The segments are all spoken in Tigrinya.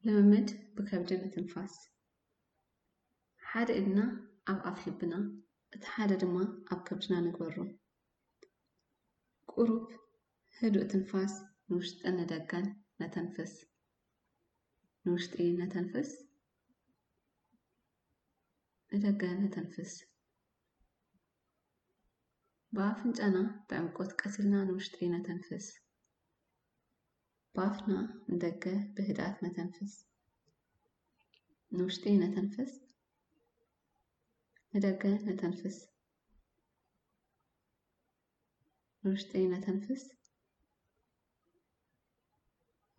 ልምምድ ብከብዲ ምትንፋስ። ሓደ ኢድና ኣብ ኣፍ ልብና፣ እቲ ሓደ ድማ ኣብ ከብድና ንግበሮ። ቁሩብ ህዱእ ትንፋስ ንውሽጥን ንደገን ነተንፍስ። ንውሽጢ ነተንፍስ፣ ንደገ ነተንፍስ። ብኣፍንጫና ብዕምቆት ቀስ ኢልና ንውሽጢ ነተንፍስ። ብኣፍና ንደገ ብህድኣት ነተንፍስ። ንውሽጢ ነተንፍስ፣ ንደገ ነተንፍስ። ንውሽጢ ነተንፍስ፣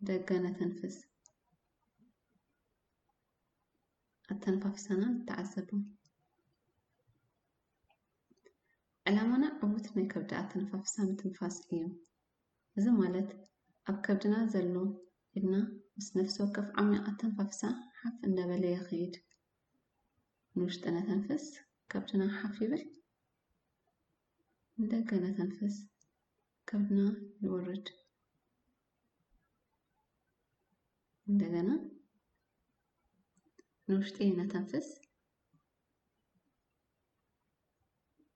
ደገ ነተንፍስ። ኣተነፋፍሳና ንተዓዘቦ። ዕላማና ዕዉት ናይ ከብዲ ኣተነፋፍሳ ምትንፋስ እዩ። እዚ ማለት ኣብ ከብድና ዘሎ ኢድና ምስ ነፍሲ ወከፍ ዓሚቕ ኣተነፋፍሳ ሓፍ እንዳበለ ይኸይድ። ንውሽጢ ነተንፍስ፣ ከብድና ሓፍ ይብል። ንደገ ነተንፍስ፣ ከብድና ይወርድ። እንደገና ንውሽጢ ነተንፍስ፣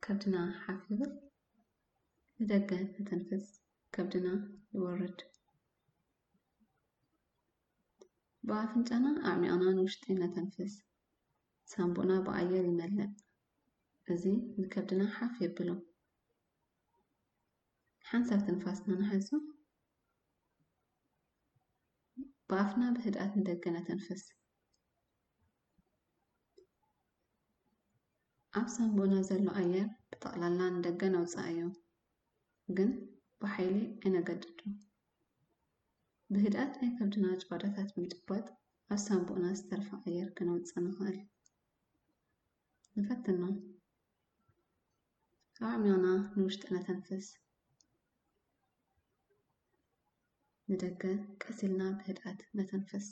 ከብድና ሓፍ ይብል። ንደገ ነተንፍስ፣ ከብድና ይወርድ። ብኣፍንጫና ኣዕሚቕና ንውሽጢ ነተንፍስ። ሳንቡእና ብኣየር ይመልእ። እዚ ንከብድና ሓፍ የብሎ። ሓንሳብ ትንፋስና ንሓዞ። ብኣፍና ብህድኣት ንደገ ነተንፍስ። ኣብ ሳንቡእና ዘሎ ኣየር ብጠቕላላ ንደገ ነውጽኣዮ፣ ግን ብሓይሊ ኣይነገድዶ። ብህድኣት ናይ ከብድና ጭዋዳታት ብምጭባጥ ኣብ ሳንቡእና ዝተርፈ ኣየር ከነውጽእ ንኽእል። ንፈትኖ። ኣዕሚቕና ንውሽጢ ነተንፍስ። ንደገ ቀስ ኢልና ብህድኣት ነተንፍስ።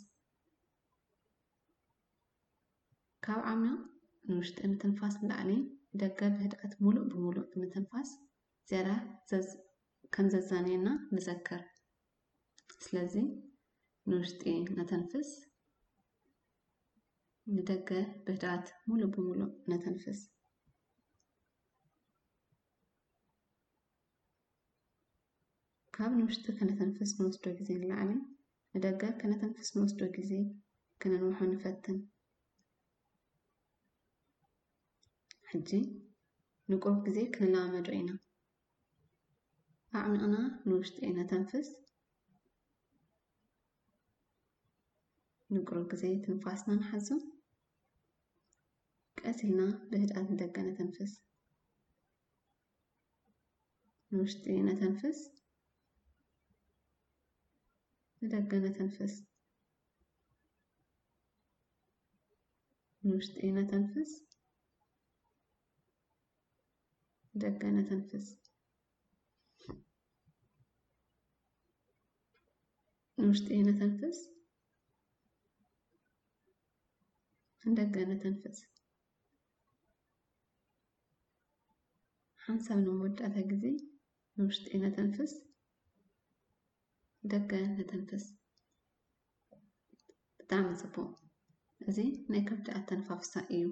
ካብ ዓሚቕ ንውሽጢ ምትንፋስ ንላዕሊ፣ ንደገ ብህድኣት ሙሉእ ብሙሉእ ብምትንፋስ ዝያዳ ዘዝ-፣ ከም ዘዛንየና ንዘክር። ስለዚ ንውሽጢ ነተንፍስ፣ ንደገ ብህድኣት ሙሉእ ብሙሉእ ነተንፍስ። ካብ ንውሽጢ ከነተንፍስ ንወስዶ ግዜ ንላዕሊ፣ ንደገ ከነተንፍስ ንወስዶ ግዜ ከነንውሖ ንፈትን። ሕጂ ንቁሩብ ግዜ ክንለማመዶ ኢና። ኣዕሚቕና ንውሽጢ ነተንፍስ። ንቁሩብ ግዜ ትንፋስና ንሓዞ። ቀስ ኢልና ብህድኣት ንደገ ነተንፍስ። ንውሽጢ ነተንፍስ። ንደገ ነተንፍስ። ንውሽጢ ነተንፍስ። ንደገ ነተንፍስ። ንውሽጢ ነተንፍስ። ንደገ ነተንፍስ። ሓንሳብ ንመወዳእታ ግዜ ንውሽጢ ነተንፍስ፣ ደገ ነተንፍስ። ብጣዕሚ ጽቡቕ። እዚ ናይ ከብዲ ኣተነፋፍሳ እዩ።